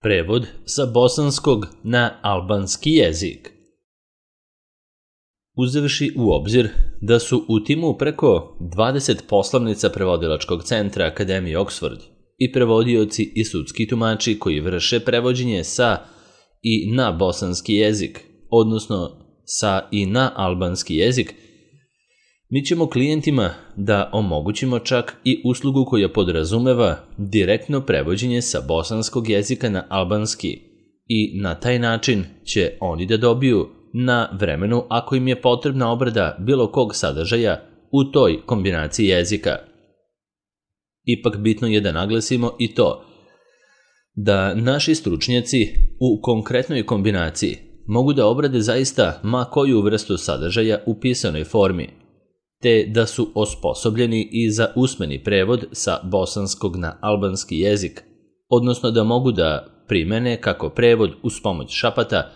Prevod sa bosanskog na albanski jezik. Uzevši u obzir da su u timu preko 20 poslovnica prevodilačkog centra Akademije Oxford i prevodioci i sudski tumači koji vrše prevođenje sa i na bosanski jezik, odnosno sa i na albanski jezik, mi ćemo klijentima da omogućimo čak i uslugu koja podrazumeva direktno prevođenje sa bosanskog jezika na albanski i na taj način će oni da dobiju na vremenu ako im je potrebna obrada bilo kog sadržaja u toj kombinaciji jezika. Ipak bitno je da naglasimo i to da naši stručnjaci u konkretnoj kombinaciji mogu da obrade zaista ma koju vrstu sadržaja u pisanoj formi, te da su osposobljeni i za usmeni prevod sa bosanskog na albanski jezik, odnosno da mogu da primene kako prevod uz pomoć šapata,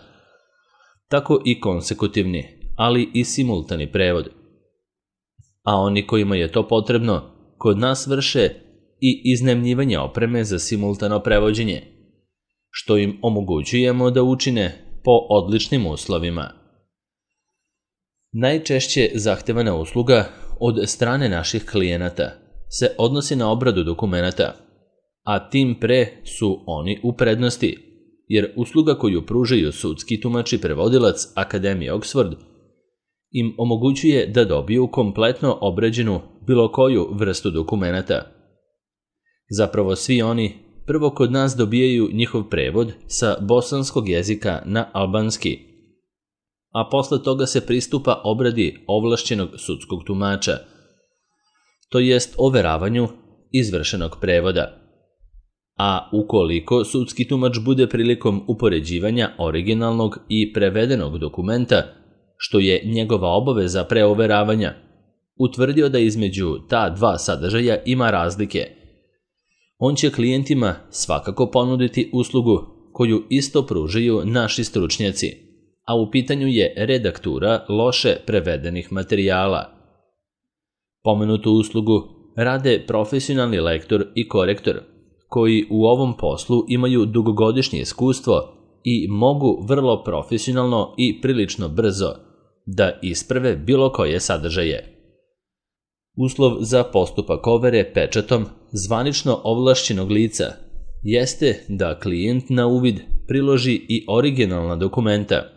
tako i konsekutivni, ali i simultani prevod. A oni kojima je to potrebno, kod nas vrše i iznajmljivanje opreme za simultano prevođenje, što im omogućujemo da učine po odličnim uslovima. Najčešće zahtevana usluga od strane naših klijenata se odnosi na obradu dokumenata, a tim pre su oni u prednosti, jer usluga koju pružaju sudski tumač i prevodilac Akademije Oxford im omogućuje da dobiju kompletno obrađenu bilo koju vrstu dokumenata. Zapravo svi oni prvo kod nas dobijaju njihov prevod sa bosanskog jezika na albanski, a posle toga se pristupa obradi ovlašćenog sudskog tumača, to jest overavanju izvršenog prevoda. A ukoliko sudski tumač bude prilikom upoređivanja originalnog i prevedenog dokumenta, što je njegova obaveza pre overavanja, utvrdio da između ta dva sadržaja ima razlike, on će klijentima svakako ponuditi uslugu koju isto pružaju naši stručnjaci, a u pitanju je redaktura loše prevedenih materijala. Pomenutu uslugu rade profesionalni lektor i korektor, koji u ovom poslu imaju dugogodišnje iskustvo i mogu vrlo profesionalno i prilično brzo da isprave bilo koje sadržaje. Uslov za postupak overe pečatom zvanično ovlašćenog lica jeste da klijent na uvid priloži i originalna dokumenta,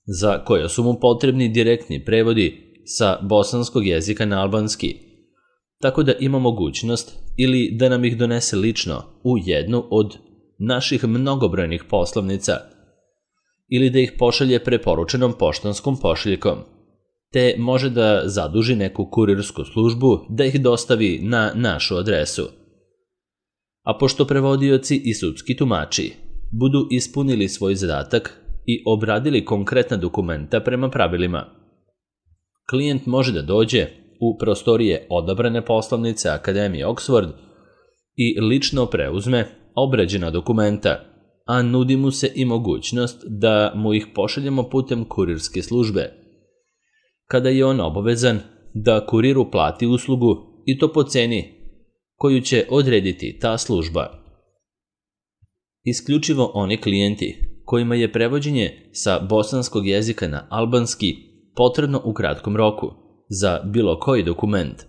za koja su mu potrebni direktni prevodi sa bosanskog jezika na albanski, tako da ima mogućnost ili da nam ih donese lično u jednu od naših mnogobrojnih poslovnica ili da ih pošalje preporučenom poštanskom pošiljkom, te može da zaduži neku kurirsku službu da ih dostavi na našu adresu. A pošto prevodioci i sudski tumači budu ispunili svoj zadatak i obradili konkretna dokumenta prema pravilima, klijent može da dođe u prostorije odabrane poslovnice Akademije Oxford i lično preuzme obrađena dokumenta, a nudi mu se i mogućnost da mu ih pošaljemo putem kurirske službe, kada je on obavezan da kuriru plati uslugu i to po ceni koju će odrediti ta služba. Isključivo oni klijenti kojima je prevođenje sa bosanskog jezika na albanski potrebno u kratkom roku za bilo koji dokument,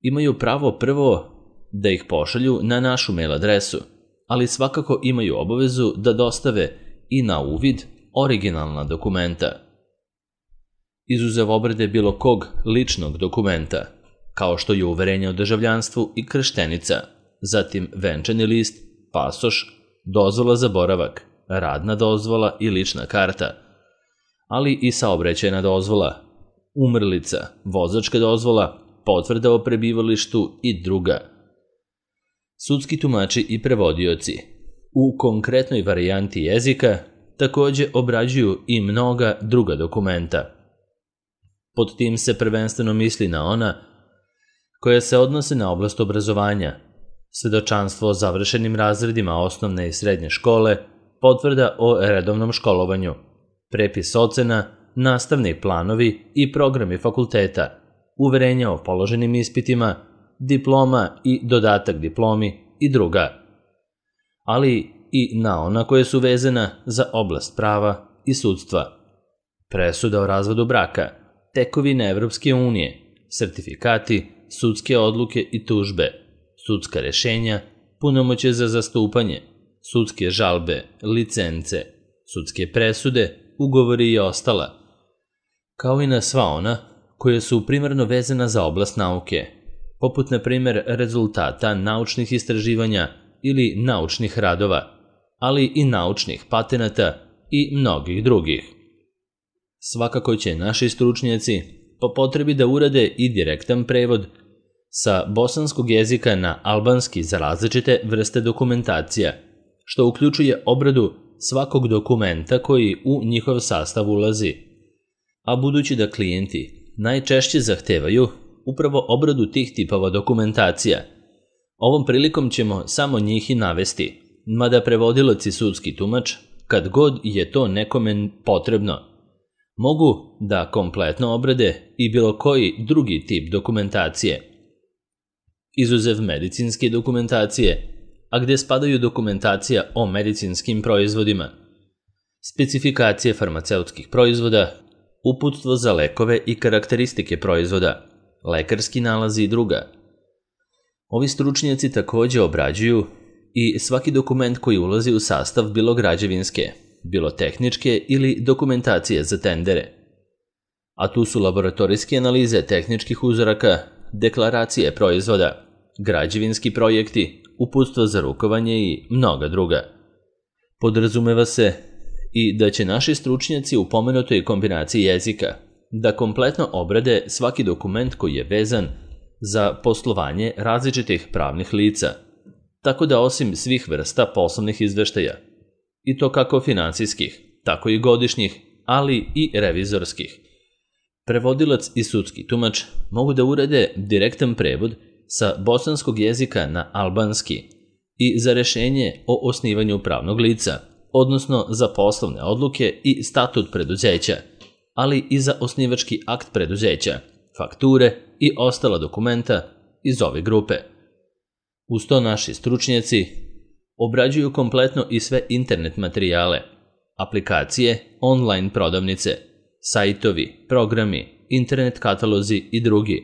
imaju pravo prvo da ih pošalju na našu mail adresu, ali svakako imaju obavezu da dostave i na uvid originalna dokumenta. Izuzev obrade bilo kog ličnog dokumenta, kao što je uverenje o državljanstvu i krštenica, zatim venčani list, pasoš, dozvola za boravak, radna dozvola i lična karta, ali i saobraćajna dozvola, umrlica, vozačka dozvola, potvrda o prebivalištu i druga. Sudski tumači i prevodioci u konkretnoj varijanti jezika takođe obrađuju i mnoga druga dokumenta. Pod tim se prvenstveno misli na ona koja se odnose na oblast obrazovanja, svedočanstvo o završenim razredima osnovne i srednje škole, potvrda o redovnom školovanju, prepis ocena, nastavni planovi i programi fakulteta, uverenja o položenim ispitima, diploma i dodatak diplomi i druga. Ali i na ona koje su vezana za oblast prava i sudstva. Presuda o razvodu braka, tekovine Evropske unije, sertifikati, sudske odluke i tužbe, sudska rešenja, punomoćje za zastupanje, sudske žalbe, licence, sudske presude, ugovori i ostala, kao i na sva ona koje su primarno vezana za oblast nauke, poput na primjer rezultata naučnih istraživanja ili naučnih radova, ali i naučnih patenata i mnogih drugih. Svakako će naši stručnjaci po potrebi da urade i direktan prevod sa bosanskog jezika na albanski za različite vrste dokumentacija, što uključuje obradu svakog dokumenta koji u njihov sastav ulazi. A budući da klijenti najčešće zahtevaju upravo obradu tih tipova dokumentacija, ovom prilikom ćemo samo njih i navesti, mada prevodilac i sudski tumač, kad god je to nekome potrebno, mogu da kompletno obrade i bilo koji drugi tip dokumentacije, izuzev medicinske dokumentacije, a gde spadaju dokumentacija o medicinskim proizvodima, specifikacije farmaceutskih proizvoda, uputstvo za lekove i karakteristike proizvoda, lekarski nalazi i druga. Ovi stručnjaci takođe obrađuju i svaki dokument koji ulazi u sastav bilo građevinske, bilo tehničke ili dokumentacije za tendere. A tu su laboratorijske analize tehničkih uzoraka, deklaracije proizvoda, građevinski projekti, uputstvo za rukovanje i mnoga druga. Podrazumeva se i da će naši stručnjaci u pomenutoj kombinaciji jezika da kompletno obrade svaki dokument koji je vezan za poslovanje različitih pravnih lica, tako da osim svih vrsta poslovnih izveštaja, i to kako finansijskih, tako i godišnjih, ali i revizorskih, prevodilac i sudski tumač mogu da urade direktan prevod sa bosanskog jezika na albanski i za rešenje o osnivanju pravnog lica, odnosno za poslovne odluke i statut preduzeća, ali i za osnivački akt preduzeća, fakture i ostala dokumenta iz ove grupe. Uz to naši stručnjaci obrađuju kompletno i sve internet materijale, aplikacije, online prodavnice, sajtovi, programi, internet katalozi i drugi,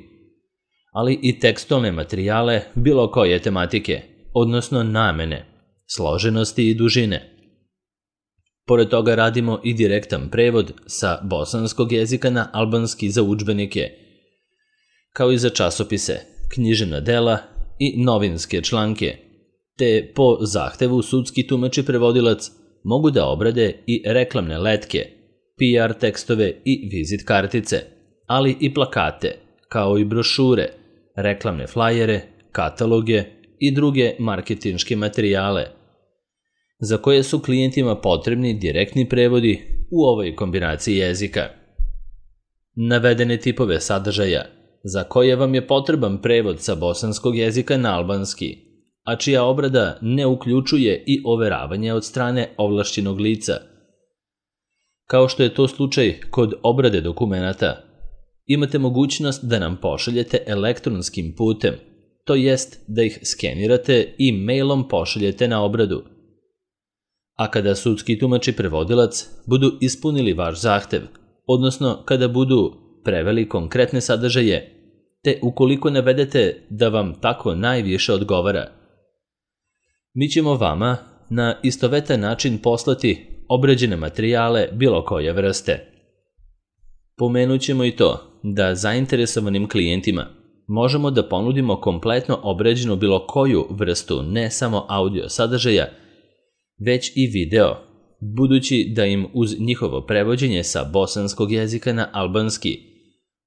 ali i tekstualne materijale bilo koje tematike, odnosno namene, složenosti i dužine. Pored toga radimo i direktan prevod sa bosanskog jezika na albanski za udžbenike, kao i za časopise, književna dela i novinske članke, te po zahtevu sudski tumač i prevodilac mogu da obrade i reklamne letke, PR tekstove i vizit kartice, ali i plakate, kao i brošure, reklamne flajere, kataloge i druge marketinške materijale, za koje su klijentima potrebni direktni prevodi u ovoj kombinaciji jezika. Navedene tipove sadržaja, za koje vam je potreban prevod sa bosanskog jezika na albanski, a čija obrada ne uključuje i overavanje od strane ovlašćenog lica, kao što je to slučaj kod obrade dokumenata, imate mogućnost da nam pošaljete elektronskim putem, to jest da ih skenirate i mailom pošaljete na obradu. A kada sudski tumač i prevodilac budu ispunili vaš zahtev, odnosno kada budu preveli konkretne sadržaje, te ukoliko navedete da vam tako najviše odgovara, mi ćemo vama na istovetan način poslati obrađene materijale bilo koje vrste. Pomenut ćemo i to da zainteresovanim klijentima možemo da ponudimo kompletno obrađenu bilo koju vrstu ne samo audio sadržaja, već i video, budući da im uz njihovo prevođenje sa bosanskog jezika na albanski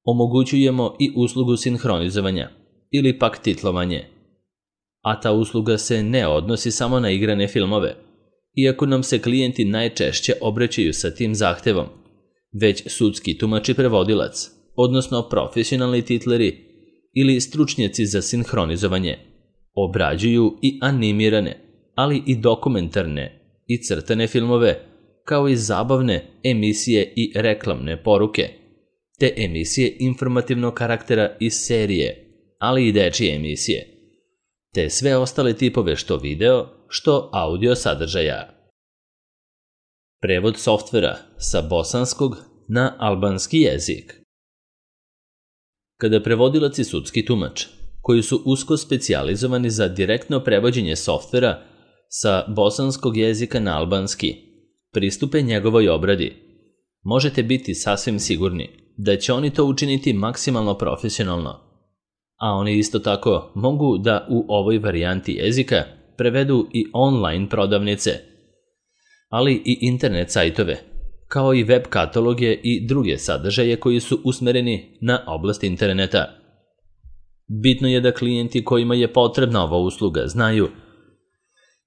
omogućujemo i uslugu sinhronizovanja ili pak titlovanje. A ta usluga se ne odnosi samo na igrane filmove, iako nam se klijenti najčešće obraćaju sa tim zahtevom, već sudski tumač i prevodilac, odnosno profesionalni titleri ili stručnjaci za sinhronizovanje, obrađuju i animirane, ali i dokumentarne i crtane filmove, kao i zabavne emisije i reklamne poruke, te emisije informativnog karaktera iz serije, ali i dečije emisije, te sve ostale tipove što video, što audio sadržaja. Prevod softvera sa bosanskog na albanski jezik. Kada prevodilac i sudski tumač, koji su usko specijalizovani za direktno prevođenje softvera sa bosanskog jezika na albanski, pristupe njegovoj obradi, možete biti sasvim sigurni da će oni to učiniti maksimalno profesionalno, a oni isto tako mogu da u ovoj varijanti jezika prevedu i online prodavnice, ali i internet sajtove, kao i web kataloge i druge sadržaje koji su usmereni na oblast interneta. Bitno je da klijenti kojima je potrebna ova usluga znaju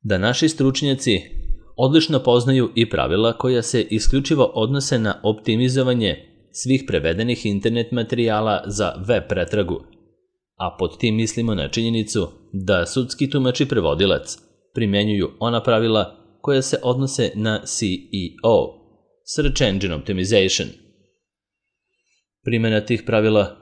da naši stručnjaci odlično poznaju i pravila koja se isključivo odnose na optimizovanje svih prevedenih internet materijala za web pretragu, a pod tim mislimo na činjenicu da sudski tumač i prevodilac primenjuju ona pravila koja se odnose na SEO, Search Engine Optimization. Primjena tih pravila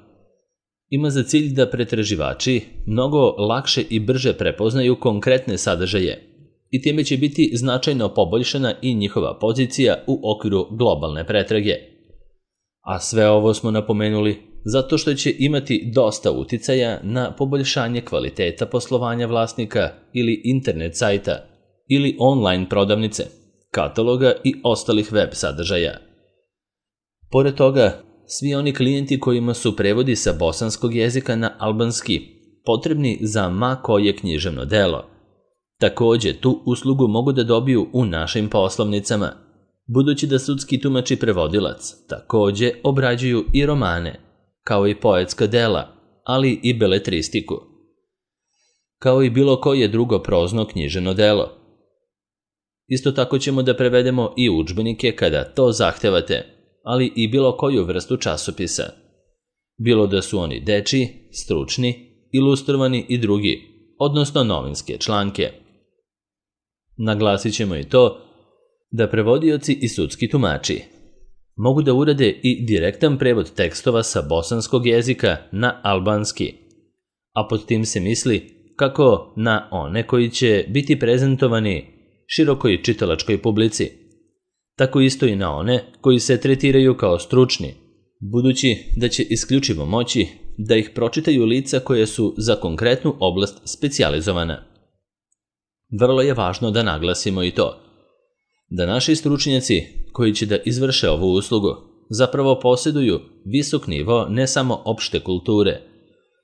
ima za cilj da pretraživači mnogo lakše i brže prepoznaju konkretne sadržaje i time će biti značajno poboljšana i njihova pozicija u okviru globalne pretrage. A sve ovo smo napomenuli zato što će imati dosta uticaja na poboljšanje kvaliteta poslovanja vlasnika ili internet sajta ili online prodavnice, kataloga i ostalih web sadržaja. Pored toga, svi oni klijenti kojima su prevodi sa bosanskog jezika na albanski potrebni za ma koje književno delo, takođe tu uslugu mogu da dobiju u našim poslovnicama, budući da sudski tumač i prevodilac takođe obrađuju i romane, kao i poetska dela, ali i beletristiku, kao i bilo koje drugo prozno književno delo. Isto tako ćemo da prevedemo i udžbenike kada to zahtevate, ali i bilo koju vrstu časopisa, bilo da su oni dečiji, stručni, ilustrovani i drugi, odnosno novinske članke. Naglasit ćemo i to da prevodioci i sudski tumači mogu da urade i direktan prevod tekstova sa bosanskog jezika na albanski, a pod tim se misli kako na one koji će biti prezentovani širokoj čitalačkoj publici, tako isto i na one koji se tretiraju kao stručni, budući da će isključivo moći da ih pročitaju lica koje su za konkretnu oblast specijalizovana. Vrlo je važno da naglasimo i to da naši stručnjaci koji će da izvrše ovu uslugu zapravo posjeduju visok nivo ne samo opšte kulture,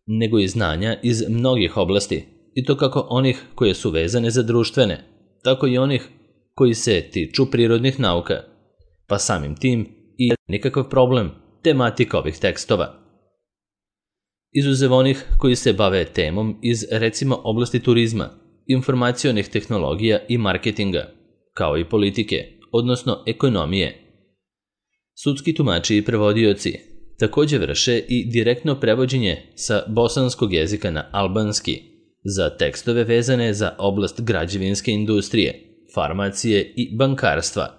nego i znanja iz mnogih oblasti, i to kako onih koje su vezane za društvene, tako i onih koji se tiču prirodnih nauka, pa samim tim i nikakav problem tematika ovih tekstova. Izuzev onih koji se bave temom iz recimo oblasti turizma, informacionih tehnologija i marketinga, kao i politike, odnosno ekonomije. Sudski tumači i prevodioci takođe vrše i direktno prevođenje sa bosanskog jezika na albanski za tekstove vezane za oblast građevinske industrije, farmacije i bankarstva,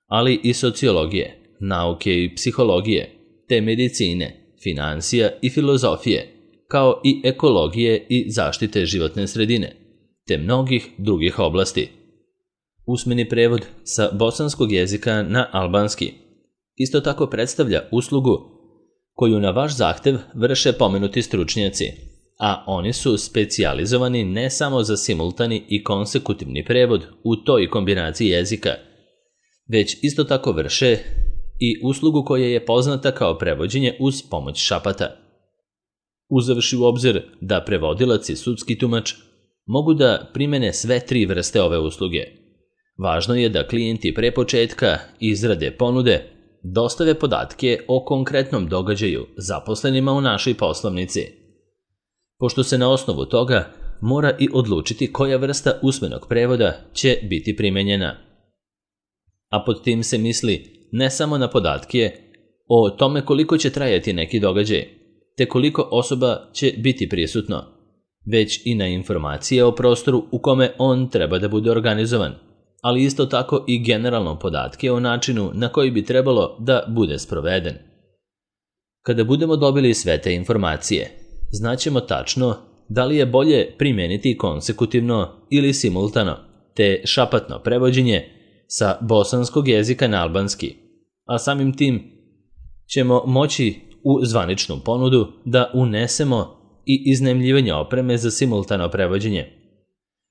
ali i sociologije, nauke i psihologije, te medicine, finansija i filozofije, kao i ekologije i zaštite životne sredine, te mnogih drugih oblasti. Usmeni prevod sa bosanskog jezika na albanski isto tako predstavlja uslugu koju na vaš zahtev vrše pomenuti stručnjaci, a oni su specijalizovani ne samo za simultani i konsekutivni prevod u toj kombinaciji jezika, već isto tako vrše i uslugu koja je poznata kao prevođenje uz pomoć šapata. Uzevši u obzir da prevodilac i sudski tumač mogu da primene sve tri vrste ove usluge, važno je da klijenti pre početka izrade ponude dostave podatke o konkretnom događaju zaposlenima u našoj poslovnici, pošto se na osnovu toga mora i odlučiti koja vrsta usmenog prevoda će biti primenjena. A pod tim se misli ne samo na podatke o tome koliko će trajati neki događaj, te koliko osoba će biti prisutno, već i na informacije o prostoru u kome on treba da bude organizovan, ali isto tako i generalno podatke o načinu na koji bi trebalo da bude sproveden. Kada budemo dobili sve te informacije, znaćemo tačno da li je bolje primijeniti konsekutivno ili simultano, te šapatno prevođenje sa bosanskog jezika na albanski, a samim tim ćemo moći u zvaničnu ponudu da unesemo i iznajmljivanje opreme za simultano prevođenje,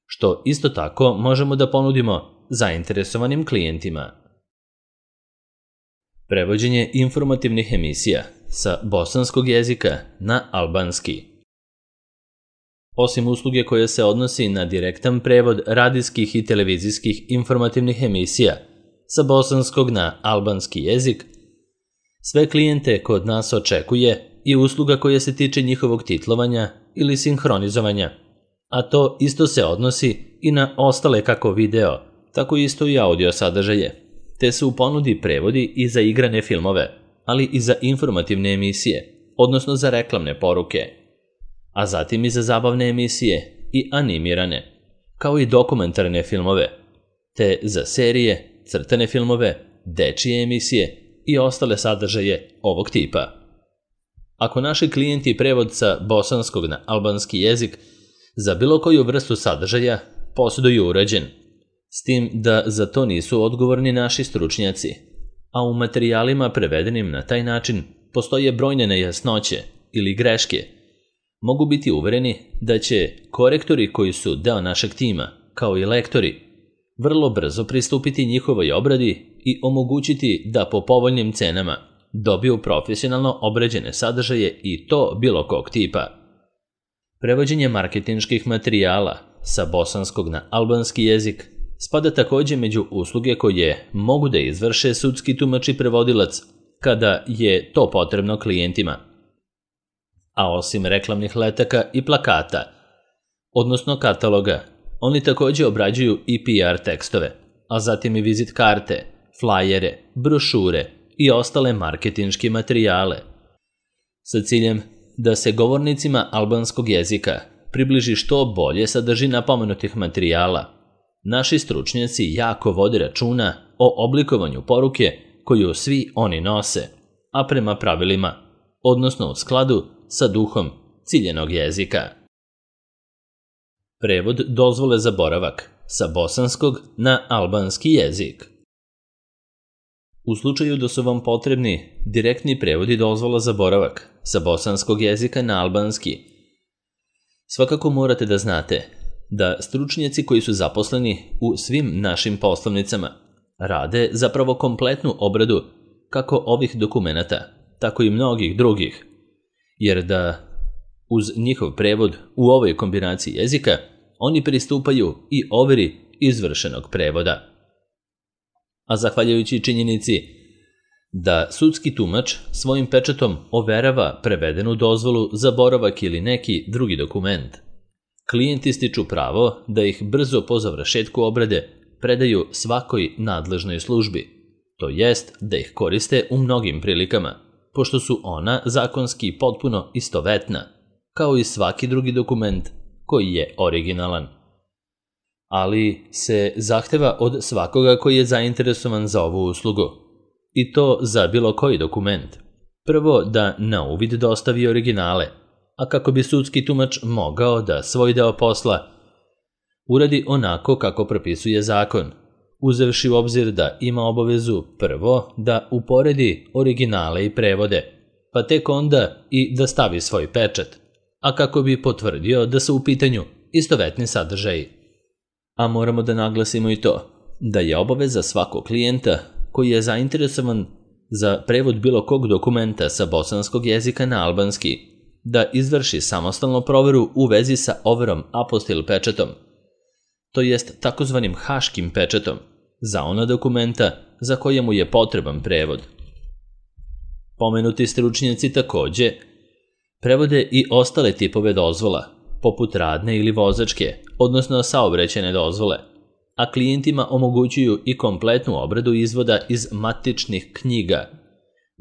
što isto tako možemo da ponudimo zainteresovanim klijentima. Prevođenje informativnih emisija sa bosanskog jezika na albanski. Osim usluge koja se odnosi na direktan prevod radijskih i televizijskih informativnih emisija sa bosanskog na albanski jezik, sve klijente kod nas očekuje i usluga koja se tiče njihovog titlovanja ili sinhronizovanja, a to isto se odnosi i na ostale kako video, tako isto i audio sadržaje, te su u ponudi prevodi i za igrane filmove, ali i za informativne emisije, odnosno za reklamne poruke, a zatim i za zabavne emisije i animirane, kao i dokumentarne filmove, te za serije, crtane filmove, dečije emisije i ostale sadržaje ovog tipa. Ako naši klijenti prevod sa bosanskog na albanski jezik za bilo koju vrstu sadržaja posjeduju urađen, s tim da za to nisu odgovorni naši stručnjaci, a u materijalima prevedenim na taj način postoje brojne nejasnoće ili greške, mogu biti uvereni da će korektori koji su deo našeg tima, kao i lektori, vrlo brzo pristupiti njihovoj obradi i omogućiti da po povoljnim cenama dobiju profesionalno obrađene sadržaje i to bilo kog tipa. Prevođenje marketinških materijala sa bosanskog na albanski jezik spada također među usluge koje mogu da izvrše sudski tumač i prevodilac kada je to potrebno klijentima. A osim reklamnih letaka i plakata, odnosno kataloga, oni također obrađuju i PR tekstove, a zatim i vizit karte, flajere, brošure i ostale marketinške materijale, sa ciljem da se govornicima albanskog jezika približi što bolje sadržina pomenutih materijala. Naši stručnjaci jako vode računa o oblikovanju poruke koju svi oni nose, a prema pravilima, odnosno u skladu sa duhom ciljenog jezika. Prevod dozvole za boravak sa bosanskog na albanski jezik. U slučaju da su vam potrebni direktni prevodi dozvola za boravak sa bosanskog jezika na albanski, svakako morate da znate da stručnjaci koji su zaposleni u svim našim poslovnicama rade zapravo kompletnu obradu kako ovih dokumenata, tako i mnogih drugih, jer da uz njihov prevod u ovoj kombinaciji jezika oni pristupaju i overi izvršenog prevoda. A zahvaljujući činjenici da sudski tumač svojim pečatom overava prevedenu dozvolu za boravak ili neki drugi dokument, klijenti stiču pravo da ih brzo po završetku obrade predaju svakoj nadležnoj službi, to jest da ih koriste u mnogim prilikama, pošto su ona zakonski potpuno istovetna, kao i svaki drugi dokument koji je originalan. Ali se zahteva od svakoga koji je zainteresovan za ovu uslugu, i to za bilo koji dokument. Prvo da na uvid dostavi originale, a kako bi sudski tumač mogao da svoj deo posla uradi onako kako propisuje zakon, uzevši u obzir da ima obavezu prvo da uporedi originale i prevode, pa tek onda i da stavi svoj pečat, a kako bi potvrdio da su u pitanju istovetni sadržaji. A moramo da naglasimo i to, da je obaveza svakog klijenta koji je zainteresovan za prevod bilo kog dokumenta sa bosanskog jezika na albanski, da izvrši samostalnu proveru u vezi sa overom apostil pečatom, to jest takozvanim haškim pečatom, za ona dokumenta za koje mu je potreban prevod. Pomenuti stručnjaci također prevode i ostale tipove dozvola, poput radne ili vozačke, odnosno saobraćajne dozvole, a klijentima omogućuju i kompletnu obradu izvoda iz matičnih knjiga,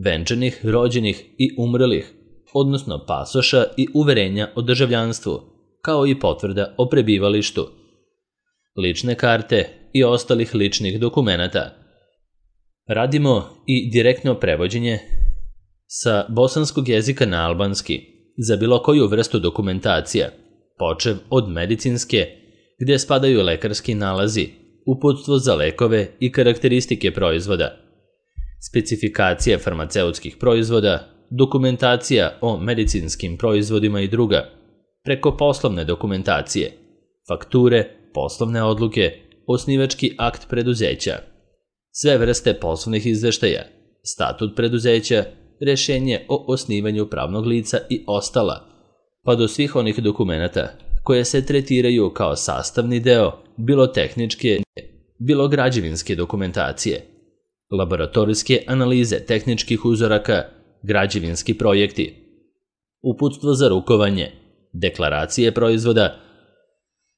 venčanih, rođenih i umrlih, odnosno pasoša i uverenja o državljanstvu, kao i potvrda o prebivalištu, lične karte i ostalih ličnih dokumenata. Radimo i direktno prevođenje sa bosanskog jezika na albanski za bilo koju vrstu dokumentacija, počev od medicinske, gdje spadaju lekarski nalazi, uputstvo za lekove i karakteristike proizvoda, specifikacije farmaceutskih proizvoda, dokumentacija o medicinskim proizvodima i druga, preko poslovne dokumentacije, fakture, poslovne odluke, osnivački akt preduzeća, sve vrste poslovnih izveštaja, statut preduzeća, rješenje o osnivanju pravnog lica i ostala, pa do svih onih dokumenata koje se tretiraju kao sastavni deo bilo tehničke, bilo građevinske dokumentacije, laboratorijske analize tehničkih uzoraka, građevinski projekti, uputstvo za rukovanje, deklaracije proizvoda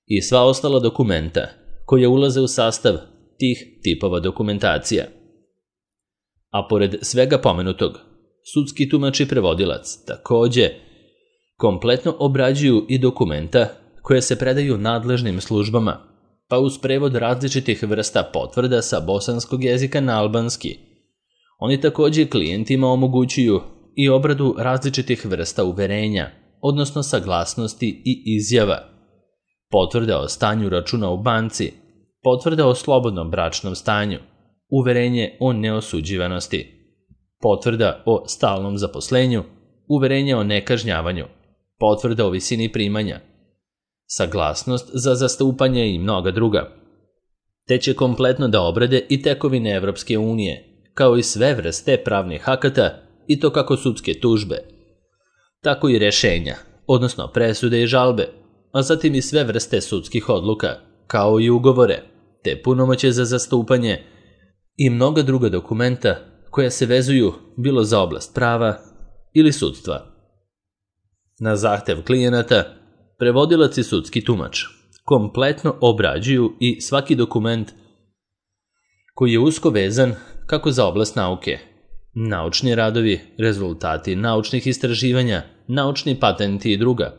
i sva ostala dokumenta koje ulaze u sastav tih tipova dokumentacija. A pored svega pomenutog, sudski tumač i prevodilac takođe kompletno obrađuju i dokumenta koje se predaju nadležnim službama, pa uz prevod različitih vrsta potvrda sa bosanskog jezika na albanski. Oni takođe klijentima omogućuju i obradu različitih vrsta uverenja, odnosno saglasnosti i izjava, potvrda o stanju računa u banci, potvrda o slobodnom bračnom stanju, uverenje o neosuđivanosti, potvrda o stalnom zaposlenju, uverenje o nekažnjavanju, potvrda o visini primanja, saglasnost za zastupanje i mnoga druga. Te će kompletno da obrade i tekovine Evropske unije, kao i sve vrste pravnih akata, i to kako sudske tužbe, tako i rešenja, odnosno presude i žalbe, a zatim i sve vrste sudskih odluka, kao i ugovore, te punomoće za zastupanje i mnoga druga dokumenta koja se vezuju bilo za oblast prava ili sudstva. Na zahtev klijenata, prevodilac i sudski tumač kompletno obrađuju i svaki dokument koji je usko vezan kako za oblast nauke, naučni radovi, rezultati naučnih istraživanja, naučni patenti i druga,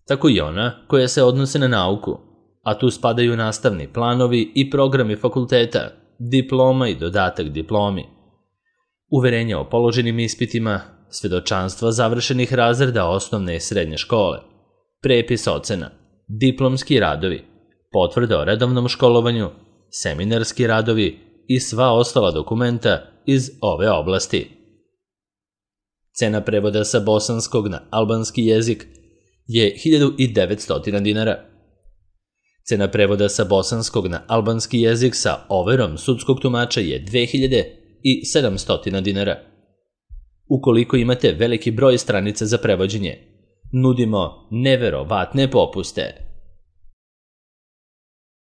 tako i ona koja se odnose na nauku, a tu spadaju nastavni planovi i programi fakulteta, diploma i dodatak diplomi, uverenja o položenim ispitima, svedočanstva završenih razreda osnovne i srednje škole, prepis ocena, diplomski radovi, potvrda o redovnom školovanju, seminarski radovi i sva ostala dokumenta iz ove oblasti. Cena prevoda sa bosanskog na albanski jezik je 1900 dinara. Cena prevoda sa bosanskog na albanski jezik sa overom sudskog tumača je 2700 dinara. Ukoliko imate veliki broj stranica za prevođenje, nudimo neverovatne popuste.